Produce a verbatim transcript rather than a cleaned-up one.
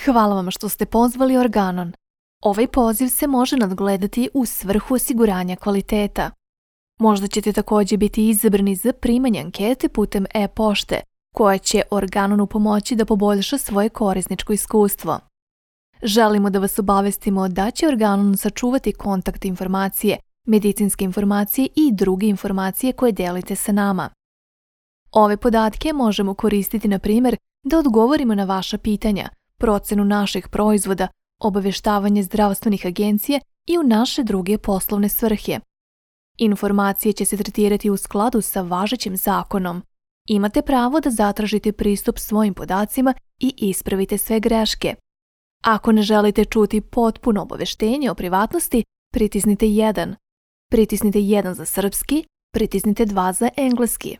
Hvala vam što ste pozvali Organon. Ovaj poziv se može nadgledati u svrhu osiguranja kvaliteta. Možda ćete također biti izabrani za primanje ankete putem e-pošte, koja će Organonu pomoći da poboljša svoje korisničko iskustvo. Želimo da vas obavestimo da će Organon sačuvati kontakt informacije, medicinske informacije i druge informacije koje delite sa nama. Ove podatke možemo koristiti, na primjer, da odgovorimo na vaša pitanja, procenu naših proizvoda, obaveštavanje zdravstvenih agencija i u naše druge poslovne svrhe. Informacije će se tretirati u skladu sa važećim zakonom. Imate pravo da zatražite pristup svojim podacima i ispravite sve greške. Ako ne želite čuti potpuno obaveštenje o privatnosti, pritisnite jedan. Pritisnite jedan za srpski, pritisnite dva za engleski.